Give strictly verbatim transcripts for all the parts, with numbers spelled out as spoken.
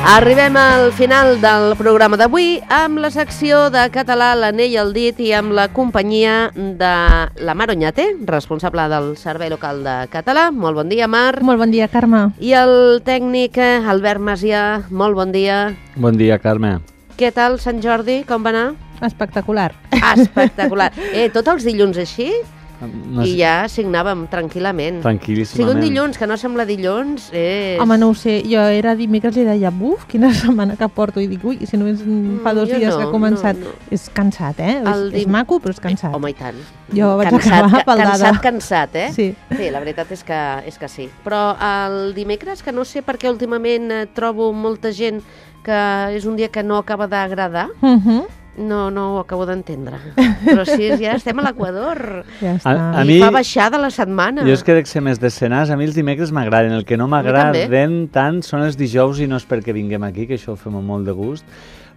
Arribem al final del programa d'avui amb la secció de català, l'anell al dit i amb la companyia de la Mar Oñate, responsable del Servei Local de Català. Molt bon dia, Mar. Molt bon dia, Carme. I el tècnic Albert Macià. Molt bon dia. Bon dia, Carme. Què tal, Sant Jordi? Com va anar? Espectacular. Espectacular. Eh, tots els dilluns així? No I sé. ja signàvem tranquil·lament. Tranquil·líssimament. Si un dilluns que no sembla dilluns és... Home, no ho sé, jo era dimecres i deia, buf, quina setmana que porto, i dic, ui, si només fa dos jo dies no, que ha començat. no, no. És cansat, eh? El És, dim- és maco, però és cansat. Home, i tant. Jo vaig Cansat, acabar ca- paldada. Cansat, cansat, eh? Sí. Sí, la veritat és que, és que sí. Però el dimecres, que no sé per què últimament eh, trobo molta gent que és un dia que no acaba d'agradar, Uh -huh. no, no ho acabo d'entendre. Però sí, ja estem a l'Equador. Ja està. A- a I mi- fa baixada la setmana. Jo és que dec ser més d'escenars, a mi els dimecres m'agraden. El que no m'agraden tant són els dijous, i no és perquè vinguem aquí, que això ho fem amb molt de gust,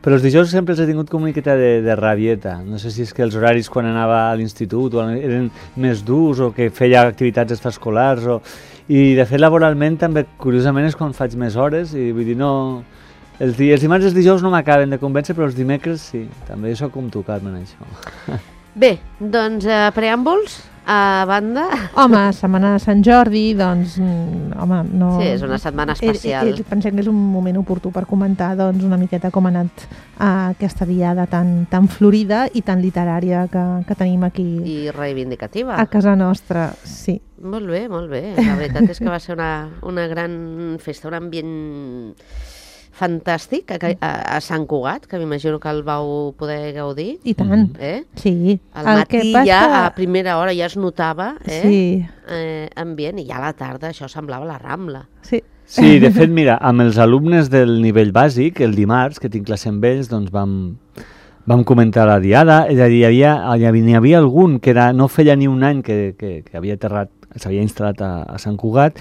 però els dijous sempre els he tingut com una miqueta de, de rabieta. No sé si és que els horaris quan anava a l'institut o eren més durs o que feia activitats extraescolars. O... I de fet laboralment també, curiosament, és quan faig més hores i vull dir, no... Els, di els dimarts i els dijous no m'acaben de convèncer, però els dimecres sí. També sóc com tu, Carme, en això. Bé, doncs eh, preàmbuls a banda. Home, setmana de Sant Jordi, doncs, mm, home, no... Sí, és una setmana especial. Eh, eh, pensem que és un moment oportú per comentar, doncs, una miqueta com ha anat eh, aquesta diada tan, tan florida i tan literària que, que tenim aquí I reivindicativa. a casa nostra, sí. Molt bé, molt bé. La veritat és que va ser una, una gran festa, un ambient fantàstic a, a, a Sant Cugat, que m'imagino que el vau poder gaudir. I tant, Eh? sí. Al El matí que passa- ja, a primera hora, ja es notava eh? Sí, Eh, ambient, i ja a la tarda això semblava la Rambla. sí. Sí, de fet, mira, amb els alumnes del nivell bàsic, el dimarts, que tinc classe amb ells, doncs vam, vam comentar la diada. És a dir, hi havia, hi havia, hi havia algun que era, no feia ni un any que, que, que havia aterrat, s'havia instal·lat a, a Sant Cugat,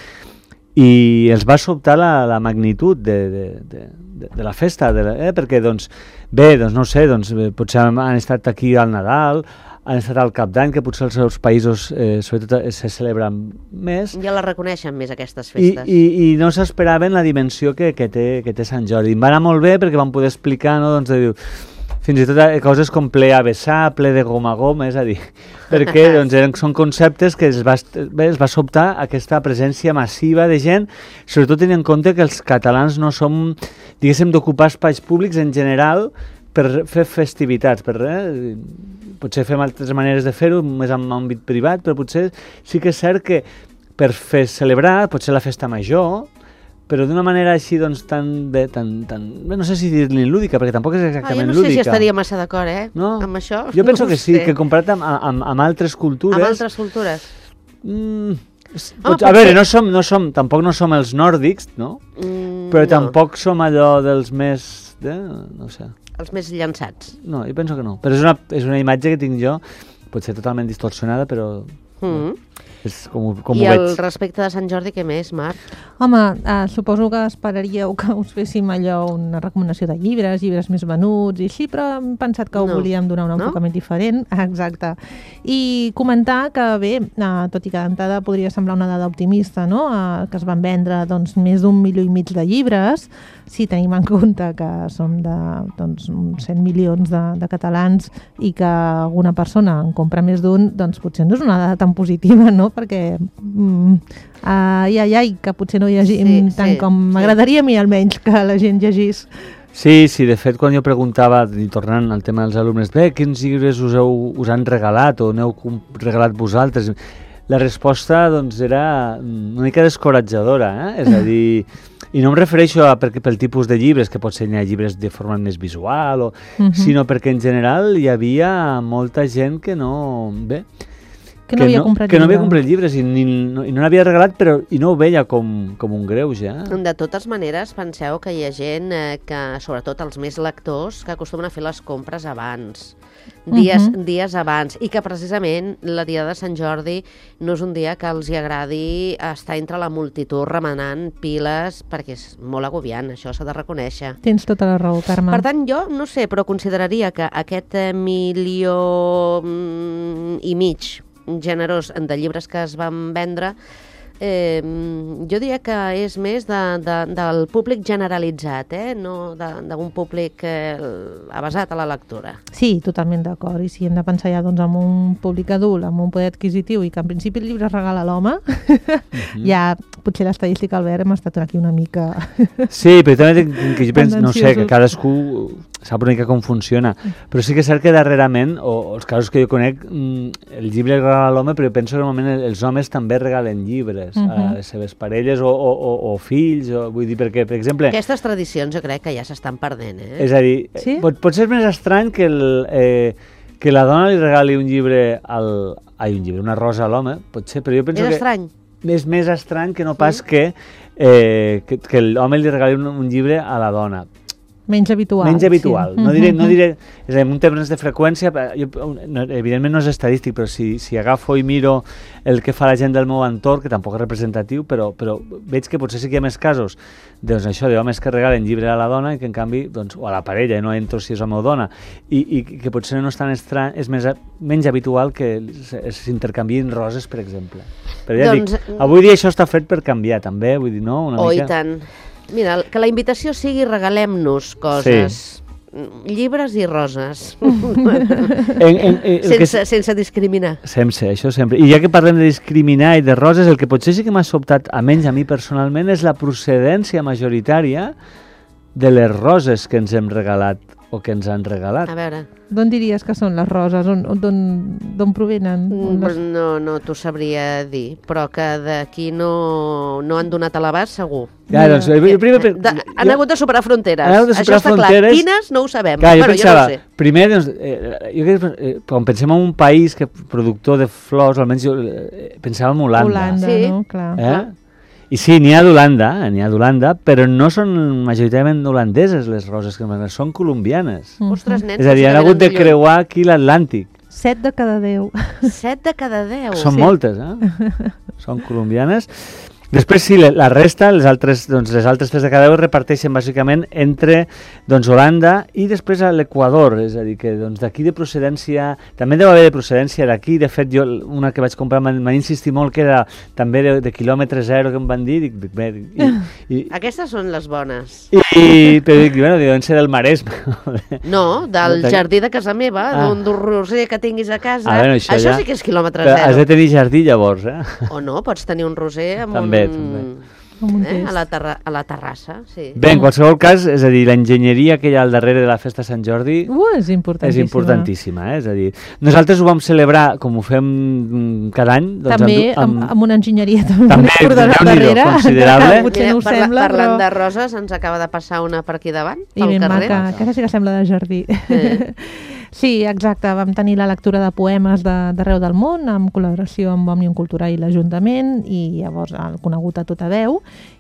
i els va sobtar la, la magnitud de, de, de, de, de la festa, de la, eh? perquè, doncs, bé, doncs no ho sé, doncs, eh, potser han, han estat aquí al Nadal, han estat al Cap d'Any, que potser els seus països, eh, sobretot, eh, se celebren més, Ja la reconeixen més, aquestes i, festes. i, i no s'esperaven la dimensió que, que, té, que té Sant Jordi. Em va anar molt bé perquè vam poder explicar, no, doncs, de, fins i tot eh, coses com ple a vessar, ple de goma a goma, és a dir, perquè doncs, eren, són conceptes que es va, bé, es va sobtar aquesta presència massiva de gent, sobretot tenint en compte que els catalans no som, diguéssim, d'ocupar espais públics en general per fer festivitats, per, eh, potser fem altres maneres de fer-ho, més en àmbit privat, però potser sí que és cert que per fer celebrar, potser la festa major, però d'una manera així, doncs, tan, bé, tan, tan, bé, no sé si dir-li lúdica, perquè tampoc és ah, exactament jo no lúdica. sé si estaria massa d'acord, eh? No? Amb això. Jo penso no que ho sí, sé. que comparat amb, amb, amb altres cultures... Amb altres cultures. Mm, s- Home, pot, a potser- veure, no som, no som, tampoc no som els nòrdics, no? Mm, Però no. tampoc som allò dels més... Eh? No sé. Els més llançats. No, jo penso que no. Però és una, és una imatge que tinc jo, potser totalment distorsionada, però Mm. és com, ho- com I ho el veig. respecte de Sant Jordi, què més, Marc? Home, eh, suposo que esperaríeu que us féssim allò, una recomanació de llibres, llibres més venuts i així, però hem pensat que ho No. volíem donar un No? enfocament diferent. Exacte. I comentar que, bé, eh, tot i que d'entrada podria semblar una dada optimista, no? Eh, que es van vendre doncs, més d'un milió i mig de llibres, si tenim en compte que som de doncs, uns cent milions de, de catalans i que alguna persona en compra més d'un, doncs potser no és una dada tan positiva, no? Perquè mm, ai, ai, ai, que potser no llegim Sí, tant sí, com sí. m'agradaria a mi almenys que la gent llegís. Sí, sí, de fet, quan jo preguntava, i tornant al tema dels alumnes, bé, quins llibres us, heu, us han regalat o n'heu com- regalat vosaltres? La resposta, doncs, era una mica descoratjadora, eh? És a dir, i no em refereixo a perquè, pel tipus de llibres, que potser n'hi ha llibres de forma més visual, o, Mhm. sinó perquè en general hi havia molta gent que no... Bé, Que no havia comprat que no havia llibre. comprat llibres i, ni, no, i no n'havia regalat, però i no ho veia com, com un greuge. Eh? De totes maneres, penseu que hi ha gent eh, que, sobretot els més lectors, que acostumen a fer les compres abans, dies, Mhm. dies abans, i que precisament la dia de Sant Jordi no és un dia que els hi agradi estar entre la multitud remenant piles, perquè és molt agobiant, això s'ha de reconèixer. Tens tota la raó, Carme. Per tant, jo no sé, però consideraria que aquest eh, milió mm, i mig generós de llibres que es van vendre eh, jo diria que és més de, de, del públic generalitzat, eh? No d'un públic eh, avasat a la lectura. Sí, totalment d'acord. I si hem de pensar ja doncs, en un públic adult, amb un poder adquisitiu i que en principi el llibre es regala a l'home, uh-huh. ja potser l'estadística, Albert, hem estat aquí una mica... Sí, però també que jo penso, no sé, que cadascú sap una mica com funciona, però sí que és cert que darrerament, o, o els casos que jo conec, el llibre regala a l'home, però jo penso que normalment els homes també regalen llibres uh-huh. a les seves parelles o, o, o, o fills, o, vull dir, perquè, per exemple... Aquestes tradicions jo crec que ja s'estan perdent, eh? És a dir, sí? pot, pot ser més estrany que, el, eh, que la dona li regali un llibre, al, ai, un llibre, una rosa a l'home, pot ser, però jo penso és que... estrany. És més estrany que no pas sí. que, eh, que, que l'home li regali un, un llibre a la dona. Menys habitual. Menys habitual. Sí. No diré, no diré, és a dir, en termes de freqüència, jo, no, evidentment no és estadístic, però si, si agafo i miro el que fa la gent del meu entorn, que tampoc és representatiu, però, però veig que potser sí que hi ha més casos doncs això, d'homes que regalen llibre a la dona i que en canvi, doncs, o a la parella, no entro si és home o dona, i, i que potser no és tan estrany, és més, menys habitual que s'intercanviïn roses, per exemple. Però ja doncs, dic, avui dia això està fet per canviar també, vull dir, no? Una oh, mica... i tant. Mira, que la invitació sigui regalem-nos coses, sí. llibres i roses, en, en, en, sense, que... sense discriminar. Sense, això sempre. I ja que parlem de discriminar i de roses, el que potser sí que m'ha sobtat, almenys a mi personalment, és la procedència majoritària de les roses que ens hem regalat o que ens han regalat. A veure... D'on diries que són les roses? D'on provenen? Les... No, no t'ho sabria dir, però que d'aquí no, no han donat a l'abast, segur. Ja, doncs, jo, primer, de, de, han jo, hagut de superar fronteres. Han hagut de superar Això està fronteres. Clar. Quines no ho sabem. Clar, jo bueno, pensava, jo no ho sé. Primer, doncs, eh, jo crec, eh, quan pensem en un país que productor de flors, almenys jo eh, pensava en Holanda. Holanda, sí. no? Clar. Eh? I sí, n'hi ha d'Holanda, n'hi ha d'Holanda, però no són majoritàriament holandeses les roses que m'agraden, són colombianes. Mm-hmm. Ostres, nens, és a dir, han hagut de creuar aquí l'Atlàntic. Set de cada deu. Set de cada deu. Són sí. moltes, eh? Són colombianes. Després sí, la resta, les altres, doncs, les altres tres de cada deu es reparteixen bàsicament entre doncs, Holanda i després a l'Equador, és a dir, que doncs, d'aquí de procedència, també deu haver de procedència d'aquí, de fet jo una que vaig comprar m'han insistit molt que era també de, de quilòmetre zero que em van dir, dic, bé, i, i, aquestes són les bones. I, i però dic, bueno, deuen ser del Maresme. No, del jardí de casa meva, ah. d'un roser que tinguis a casa, ah, bueno, això, això ja... sí que és quilòmetre però zero. Has de tenir jardí llavors, eh? O no, pots tenir un roser amb també, un... També. Eh? A, la terra a la terrassa, sí. Bé, en qualsevol cas, és a dir, l'enginyeria que hi ha al darrere de la festa de Sant Jordi uh, és importantíssima. És importantíssima, eh? És a dir, nosaltres ho vam celebrar, com ho fem cada any... Doncs, també, amb, amb, amb una enginyeria també, també darrere. Considerable. Potser no ho Parla, sembla, parlant però... de roses, ens acaba de passar una per aquí davant, I pel ben carrer. maca, que sí que sembla de jardí. Eh. Sí, exacte, vam tenir la lectura de poemes d'arreu de, del món, amb col·laboració amb Òmnium Cultural i l'Ajuntament, i llavors el conegut a tota veu,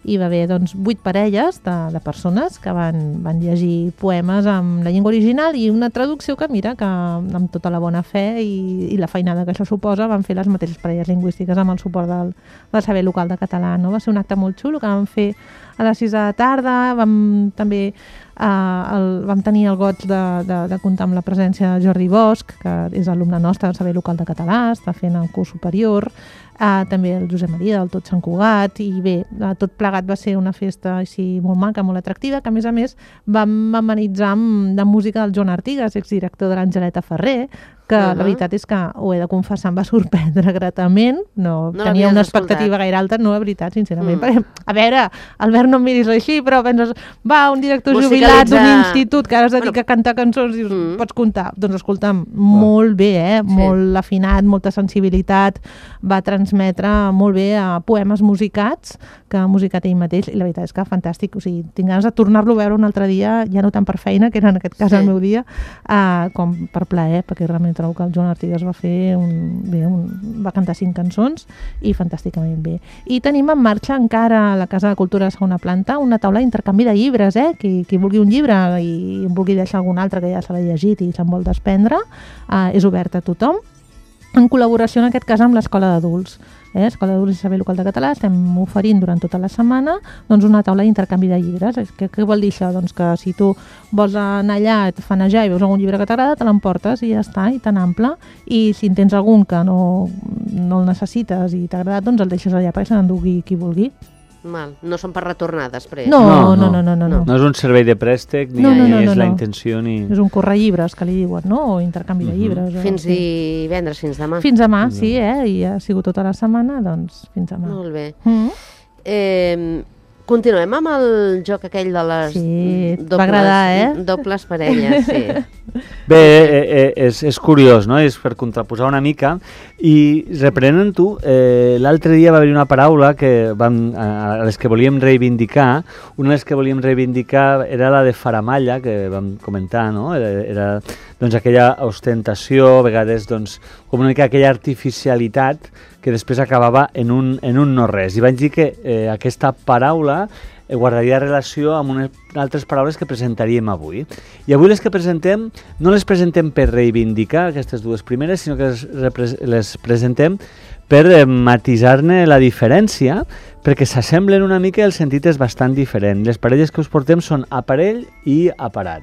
i va haver doncs, vuit parelles de, de persones que van, van llegir poemes amb la llengua original i una traducció que, mira, que amb tota la bona fe i, i la feinada que això suposa, van fer les mateixes parelles lingüístiques amb el suport del, del saber local de català. No? Va ser un acte molt xulo que vam fer a les sis de la tarda, vam també Uh, el, vam tenir el goig de, de, de comptar amb la presència de Jordi Bosch, que és alumne nostre del saber local de català, està fent el curs superior, uh, també el Josep Maria del Tot Sant Cugat, i bé, uh, tot plegat va ser una festa així molt maca, molt atractiva, que a més a més vam amenitzar amb de música del Joan Artigas, exdirector de l'Angeleta Ferrer, que uh -huh. la veritat és que, ho he de confessar, em va sorprendre gratament, no, no tenia una expectativa escoltat. gaire alta, no, la veritat, sincerament, mm. perquè, a veure, Albert, no em miris així, però penses, va, un director jubilat d'un institut que ara es dedica bueno. a cantar cançons i dius, mm. pots comptar, doncs escolta'm, oh. molt bé, eh? Sí. Molt afinat, molta sensibilitat, va transmetre molt bé a poemes musicats, que ha musicat ell mateix, i la veritat és que fantàstic, o sigui, tinc ganes de tornar-lo a veure un altre dia, ja no tant per feina, que era en aquest cas sí. el meu dia, uh, com per plaer, perquè realment trobo que el Joan Artigas va fer un, bé, un, va cantar cinc cançons i fantàsticament bé. I tenim en marxa encara a la Casa de Cultura de segona planta una taula d'intercanvi de llibres, eh? Qui, qui vulgui un llibre i en vulgui deixar algun altre que ja se l'ha llegit i se'n vol desprendre, eh, és obert a tothom, en col·laboració en aquest cas amb l'Escola d'Adults. Eh? Escola d'Adults i Saber Local de Català estem oferint durant tota la setmana doncs, una taula d'intercanvi de llibres. Què, què vol dir això? Doncs que si tu vols anar allà, et fanejar i veus algun llibre que t'agrada, te l'emportes i ja està, i tan ample. I si en tens algun que no, no el necessites i t'ha agradat, doncs el deixes allà perquè se n'endugui qui vulgui. Mal. No són per retornar després. No, no, no, no, no, no. No és un servei de préstec, ni No, no, no, és no, la no. intenció, ni... És un corre llibres, que li diuen, no? O intercanvi de llibres. o- Fins sí. divendres, fins demà. Fins demà, sí, eh? I ha sigut tota la setmana, doncs fins demà. Molt bé. Mm. Eh, continuem amb el joc aquell de les Sí, et va dobles, agradar, eh? dobles parelles, sí. Bé, eh, eh, és, és curiós, no? És per contraposar una mica. I reprenent tu, eh, l'altre dia va haver una paraula que vam, a les que volíem reivindicar. Una de les que volíem reivindicar era la de faramalla, que vam comentar, no? Era, era doncs, aquella ostentació, a vegades doncs, com una mica aquella artificialitat que després acabava en un, en un no res. I vaig dir que eh, aquesta paraula eh, guardaria relació amb unes altres paraules que presentaríem avui. I avui les que presentem, no les presentem per reivindicar aquestes dues primeres, sinó que les, repres les presentem per eh, matisar-ne la diferència, perquè s'assemblen una mica i el sentit és bastant diferent. Les parelles que us portem són aparell i aparat.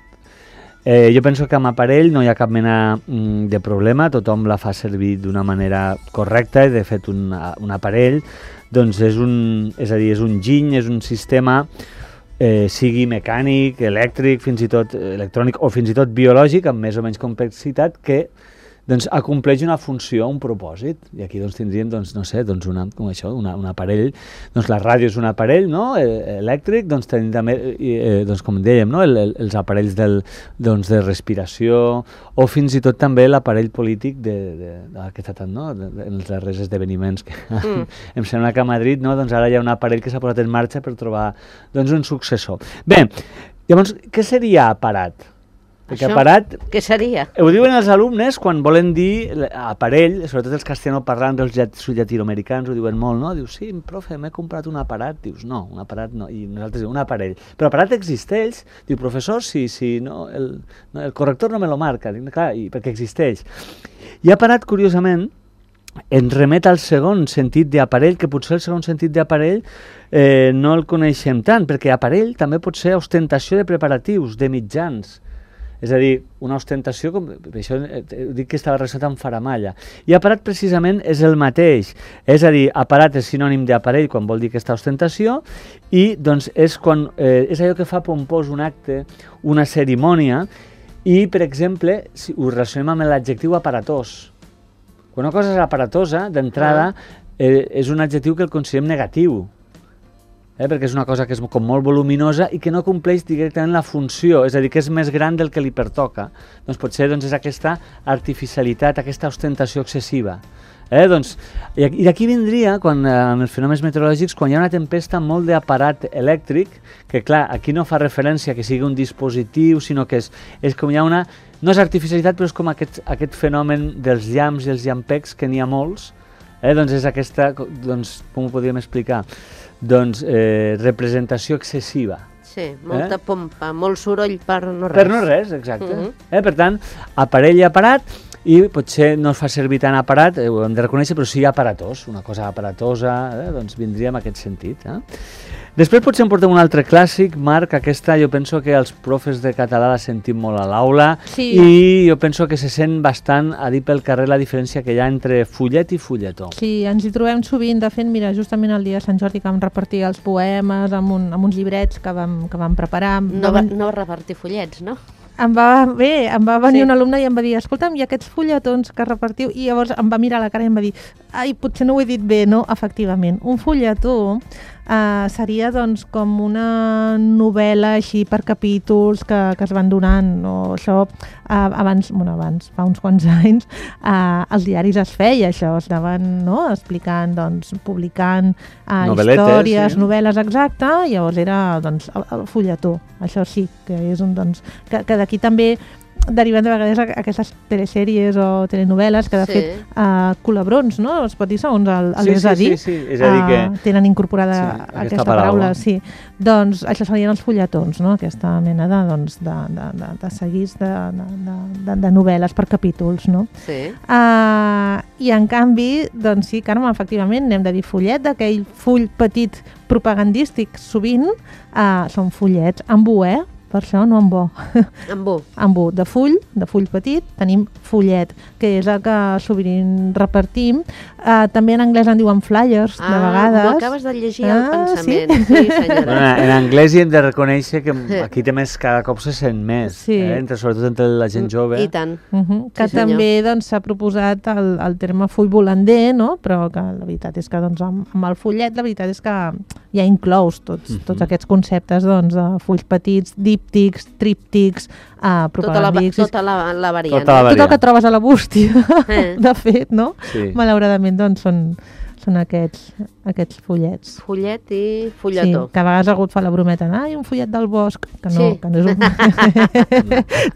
Eh, jo penso que amb aparell no hi ha cap mena mm, de problema, tothom la fa servir d'una manera correcta i de fet un, un aparell doncs és un, és a dir, és un giny, és un sistema eh, sigui mecànic, elèctric, fins i tot electrònic o fins i tot biològic amb més o menys complexitat que doncs acompleix una funció, un propòsit. I aquí doncs tindríem, doncs, no sé, doncs una, com això, una, un aparell, doncs la ràdio és un aparell, no?, eh, elèctric, doncs tenim també, eh, doncs com dèiem, no?, el, el, els aparells del, doncs, de respiració, o fins i tot també l'aparell polític de, de, de, que està tant, no?, de, de, en els darrers esdeveniments. Que, mm. Em sembla que a Madrid, no?, doncs ara hi ha un aparell que s'ha posat en marxa per trobar, doncs, un successor. Bé, llavors, què seria aparat? Perquè Això, aparat, què seria? ho diuen els alumnes quan volen dir aparell, sobretot els castellanoparlants, els llat llatinoamericans ho diuen molt, no? Dius, sí, profe, m'he comprat un aparat. Dius, no, un aparat no. I nosaltres diuen, un aparell. Però aparat existeix. Diu, professor, sí, sí, no, el, no, el corrector no me lo marca. Dic, clar, i perquè existeix. I aparat, curiosament, ens remet al segon sentit d'aparell, que potser el segon sentit d'aparell eh, no el coneixem tant, perquè aparell també pot ser ostentació de preparatius, de mitjans. És a dir, una ostentació, com, per això dic que estava relacionat amb faramalla. I aparat precisament és el mateix. És a dir, aparat és sinònim d'aparell quan vol dir aquesta ostentació i doncs és, quan, eh, és allò que fa pompós un acte, una cerimònia i, per exemple, si ho relacionem amb l'adjectiu aparatós. Quan una cosa és aparatosa, d'entrada, eh, és un adjectiu que el considerem negatiu. Eh, perquè és una cosa que és com molt voluminosa i que no compleix directament la funció, és a dir, que és més gran del que li pertoca. Doncs potser doncs, és aquesta artificialitat, aquesta ostentació excessiva. Eh, doncs, I d'aquí vindria, quan, eh, amb els fenòmens meteorològics, quan hi ha una tempesta molt d'aparat elèctric, que clar, aquí no fa referència que sigui un dispositiu, sinó que és, és com hi ha una... No és artificialitat, però és com aquest, aquest fenomen dels llamps i els llampecs, que n'hi ha molts. Eh, doncs és aquesta, doncs, com ho podríem explicar? Doncs eh, representació excessiva. Sí, molta eh? pompa, molt soroll per no res. Per no res, exacte. Uh -huh. eh, per tant, aparell i aparat, i potser no es fa servir tant aparat, eh, ho hem de reconèixer, però sí aparatós, una cosa aparatosa, eh, doncs vindria en aquest sentit. Eh? Després potser em portem un altre clàssic, Marc, aquesta jo penso que els profes de català la sentim molt a l'aula Sí. i jo penso que se sent bastant a dir pel carrer la diferència que hi ha entre fullet i fulletó. Sí, ens hi trobem sovint. De fet, mira, justament el dia de Sant Jordi que vam repartir els poemes amb, un, amb uns llibrets que vam, que vam preparar. No va, no va repartir fullets, no? Em va, bé, em va venir Sí. un alumne i em va dir, escolta'm, i aquests fulletons que repartiu? I llavors em va mirar a la cara i em va dir, ai, potser no ho he dit bé, no? Efectivament, un fulletó uh, seria doncs com una novel·la així per capítols que, que es van donant, no? Això uh, abans, bueno, abans, fa uns quants anys, uh, els diaris es feia això, es anaven, no?, explicant, doncs, publicant uh, històries, sí. novel·les, exacte, i llavors era, doncs, el, el fulletó. Això sí, que és un, doncs, que, que d'aquí també deriven de vegades aquestes telesèries o telenovel·les que de Sí. fet uh, colabrons, no? Es pot dir segons el, el Sí, és sí, a dir, sí, sí, és a dir que... uh, tenen incorporada Sí, aquesta, aquesta paraula. paraula. Sí. Doncs això serien els fulletons, no? Aquesta mena de, doncs, de, de, de, de seguits de, de, de, de novel·les per capítols, no? Sí. Uh, I en canvi, doncs sí, Carme, efectivament, n'hem de dir fullet, d'aquell full petit propagandístic, sovint uh, són fullets amb U E, per això, no amb bo. Amb bo. Amb bo, de full, de full petit, tenim fullet, que és el que sovint repartim. Uh, també en anglès en diuen flyers, ah, de vegades. Ah, m'ho acabes de llegir al ah, pensament. Sí, sí senyora. Bueno, en anglès hi hem de reconèixer que aquí també cada cop se sent més, sí. eh? entre, sobretot entre la gent jove. I tant. Uh -huh. Que sí, també doncs, s'ha proposat el, el terme full volander, no? Però que la veritat és que doncs, amb, amb el fullet la veritat és que ja inclous tots, uh -huh. tots aquests conceptes doncs, de fulls petits, díptics, tríptics, uh, propagàndics... Tota la, tota la, la variant. Tota la variant. Tot el que trobes a la bústia, eh. de fet, no? Sí. Malauradament, doncs, són, són aquests, aquests fullets. Fullet i fulletó. Sí, que a vegades algú et fa la brometa, ai, un fullet del bosc, que no, sí. que no és un...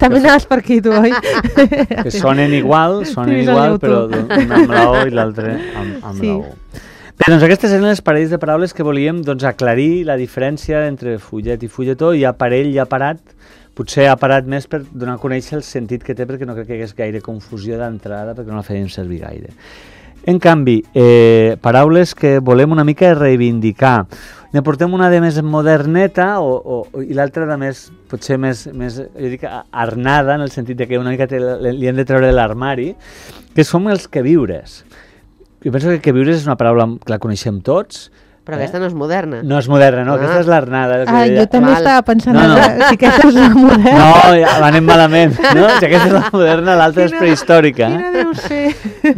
També anaves per aquí, tu, oi? Que sonen igual, sonen Tens igual, però un amb la O i l'altre amb, amb sí. la U. Bé, doncs aquestes eren les parells de paraules que volíem doncs, aclarir la diferència entre fullet i fulletó, i aparell i aparat. Potser ha parat més per donar a conèixer el sentit que té, perquè no crec que hi hagués gaire confusió d'entrada, perquè no la fèiem servir gaire. En canvi, eh, paraules que volem una mica reivindicar. Ne portem una de més moderneta o, o, i l'altra de més, potser més, més jo dic, arnada, en el sentit de que una mica te, li hem de treure de l'armari, que són els queviures. Jo penso que queviures és una paraula que la coneixem tots. Però eh? aquesta no és moderna. No és moderna, no, ah. aquesta és l'arnada. Ah, jo també Val. estava pensant no, no. si aquesta és la moderna. No, ja anem malament. No? Si aquesta és la moderna, l'altra és prehistòrica. Quina deu ser?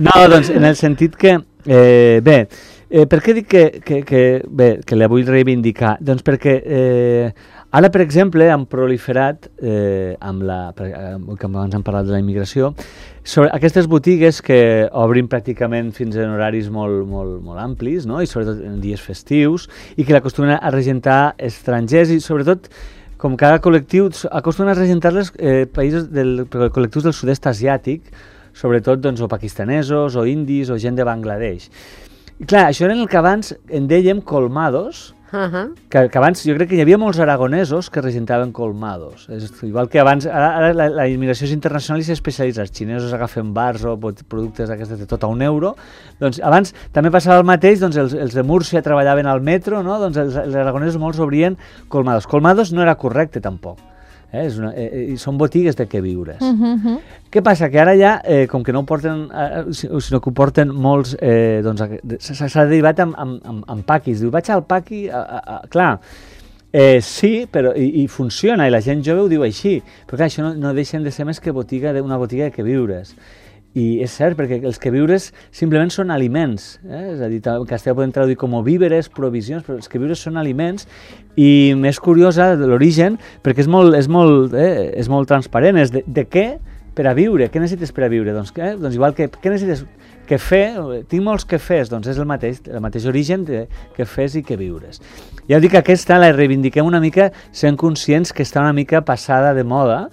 No, doncs en el sentit que, eh, bé, eh, per què dic que, que, que, bé, que la vull reivindicar? Doncs perquè eh, ara, per exemple, han proliferat, eh, amb la, que abans hem parlat de la immigració, sobre aquestes botigues que obrin pràcticament fins en horaris molt, molt, molt amplis, no? I sobretot en dies festius, i que l'acostumen a regentar estrangers, i sobretot, com cada col·lectiu, acostumen a regentar-les eh, països del, col·lectius del sud-est asiàtic, sobretot doncs, o pakistanesos, o indis, o gent de Bangladesh. I clar, això era el que abans en dèiem colmados, Uh -huh. que, que abans jo crec que hi havia molts aragonesos que regentaven colmados. És igual que abans, ara, ara la, la immigració és internacional i s'especialitza. Els xinesos agafen bars o productes d'aquestes de tot a un euro. Doncs abans també passava el mateix, doncs els, els de Múrcia treballaven al metro, no? Doncs els, els aragonesos molts obrien colmados. Colmados no era correcte tampoc. Eh? És una, eh, són botigues de queviures. Uh -huh. Què passa? Que ara ja, eh, com que no ho porten, eh, sinó que ho porten molts, eh, doncs s'ha derivat amb, amb, amb, amb paquis. Diu, vaig al paqui, a, a, a, clar, eh, sí, però i, i funciona, i la gent jove ho diu així, però clar, això no, no deixen de ser més que botiga de, una botiga de queviures. I és cert, perquè els queviures simplement són aliments, eh? És a dir, en castellà podem traduir com víveres, provisions, però els queviures són aliments, i més curiosa de l'origen, perquè és molt, és molt, eh, és molt transparent, és de, de què per a viure, què necessites per a viure? Doncs, eh? doncs igual que, què necessites? Quefè, tinc molts quefès, doncs és el mateix, el mateix origen de quefès i queviures. Ja dic que aquesta la reivindiquem una mica sent conscients que està una mica passada de moda,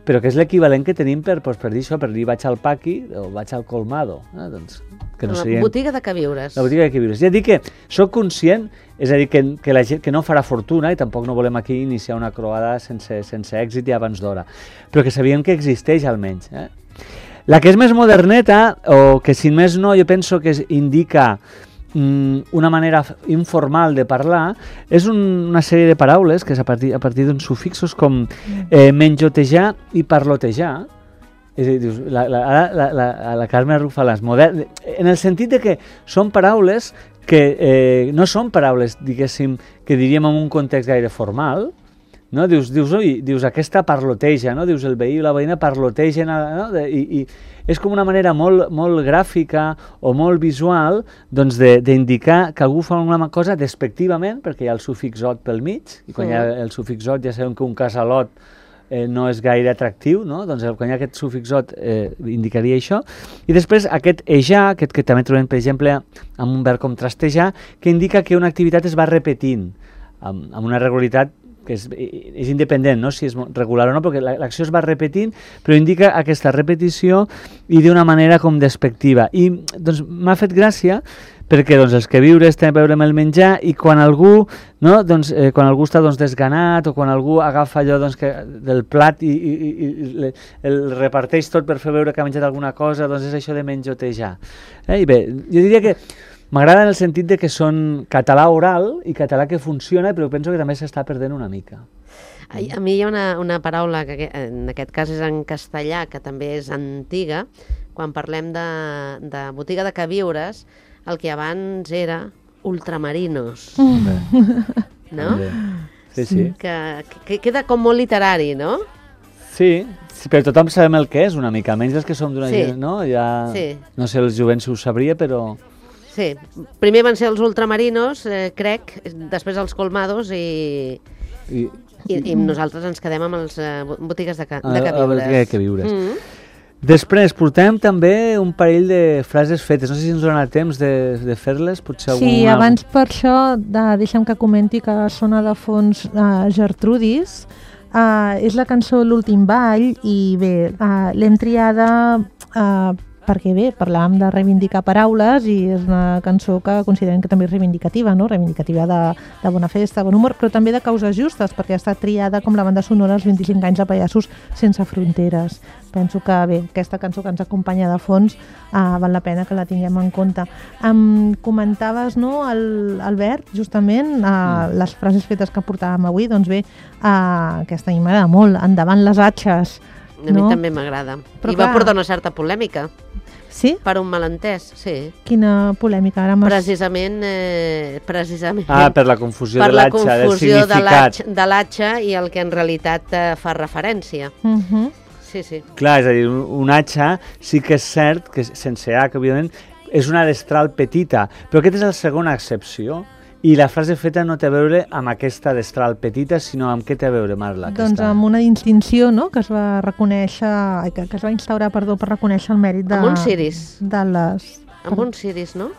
però que és l'equivalent que tenim per, doncs, per dir això, per dir vaig al paqui o vaig al colmado. Eh? Doncs, que no la serien... botiga de queviures. La botiga de queviures. Ja dic que soc conscient, és a dir, que, que la gent que no farà fortuna, i tampoc no volem aquí iniciar una croada sense, sense èxit i abans d'hora, però que sabíem que existeix almenys. Eh? La que és més moderneta, o que si més no, jo penso que es indica una manera informal de parlar, és un, una sèrie de paraules que és a partir, a partir d'uns sufixos com eh, menjotejar i parlotejar. És a dir, dius, la, la, la, la, la Carme arrufa les modernes, en el sentit de que són paraules que eh, no són paraules, diguéssim, que diríem en un context gaire formal, no? Dius, dius, oi, dius aquesta parloteja, no? Dius, el veí i la veïna parlotegen, no? De, i, i és com una manera molt, molt gràfica o molt visual doncs d'indicar que algú fa una cosa despectivament, perquè hi ha el sufix ot pel mig, i quan sí. hi ha el sufix ot ja sabem que un casalot eh, no és gaire atractiu, no? Doncs quan hi ha aquest sufix ot eh, indicaria això. I després aquest ejar, aquest que també trobem, per exemple, amb un verb com trastejar, que indica que una activitat es va repetint amb, amb una regularitat que és, és independent, no? Si és regular o no, perquè l'acció es va repetint, però indica aquesta repetició i d'una manera com despectiva. I doncs m'ha fet gràcia perquè doncs, els queviures tenen a veure amb el menjar, i quan algú, no? doncs, eh, quan algú està doncs, desganat, o quan algú agafa allò doncs, que, del plat i, i, i, i el reparteix tot per fer veure que ha menjat alguna cosa, doncs és això de menjotejar. Eh? I bé, jo diria que m'agrada en el sentit de que són català oral i català que funciona, però penso que també s'està perdent una mica. A, a mi hi ha una, una paraula que en aquest cas és en castellà, que també és antiga. Quan parlem de, de botiga de queviures, el que abans era ultramarinos, no? Sí, sí. Que, que queda com molt literari, no? Sí, sí, però tothom sabem el que és una mica, menys els que som d'una Sí. gent, no? Ja, Sí. no sé, els jovents ho sabria, però... Sí, primer van ser els ultramarinos, eh, crec, després els colmados i, I, i, i nosaltres ens quedem amb les eh, botigues de, ca, a- de a queviures. botiga de queviures. Mm. Després, portem també un parell de frases fetes. No sé si ens donarà temps de, de fer-les, potser Sí, alguna... abans per això, de, deixa'm que comenti que sona de fons uh, Gertrudis. Uh, és la cançó L'últim ball i bé, uh, l'hem triada uh, perquè bé, parlàvem de reivindicar paraules i és una cançó que considerem que també és reivindicativa, no? Reivindicativa de, de bona festa, bon humor, però també de causes justes, perquè ha estat triada com la banda sonora als vint-i-cinc anys de Pallassos sense fronteres. Penso que bé, aquesta cançó que ens acompanya de fons uh, val la pena que la tinguem en compte. Em comentaves, no, el, Albert, justament, uh, mm. les frases fetes que portàvem avui, doncs bé, uh, aquesta a mi m'agrada molt, endavant les atxes. A mi no? també m'agrada. Però I va clar. portar una certa polèmica, Sí? per un malentès, sí. Quina polèmica, ara m'has... Precisament, eh, precisament Ah, per la confusió per de la l'atxa, del confusió de significat. l'atx- de l'atxa i el que en realitat eh, fa referència. Uh -huh. Sí, sí. Clar, és a dir, un, un atxa sí que és cert, que sense H, òbviament, és una destral petita, però aquesta és la segona excepció. I la frase feta no té a veure amb aquesta destral petita, sinó amb què té a veure, Marla? Doncs aquesta? amb una distinció, no?, que es va reconèixer, ai, que, que es va instaurar, perdó, per reconèixer el mèrit de... Amb uns ciris. De les... Amb uns ciris, no?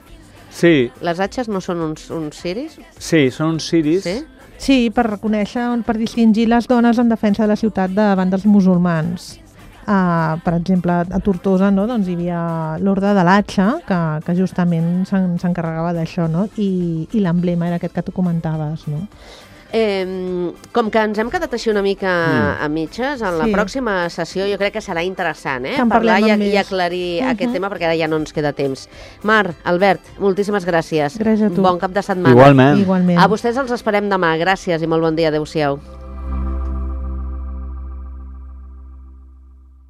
Sí, Les atxes no són uns, uns ciris? sí, són uns ciris. Sí? Sí, per reconèixer, per distingir les dones en defensa de la ciutat davant dels musulmans. Uh, per exemple, a Tortosa, no?, doncs hi havia l'Orde de l'Atxa, que, que justament s'encarregava d'això, no?, i, i l'emblema era aquest que tu comentaves, no? Eh, com que ens hem quedat així una mica Mm. a mitges, en la Sí. pròxima sessió jo crec que serà interessant, eh? Que en Parlar parlem i, amb i més. aclarir Mhm. aquest tema, perquè ara ja no ens queda temps. Mar, Albert, moltíssimes gràcies. Gràcies a tu. Bon cap de setmana. Igualment. Igualment. A vostès els esperem demà. Gràcies i molt bon dia. Adéu-siau.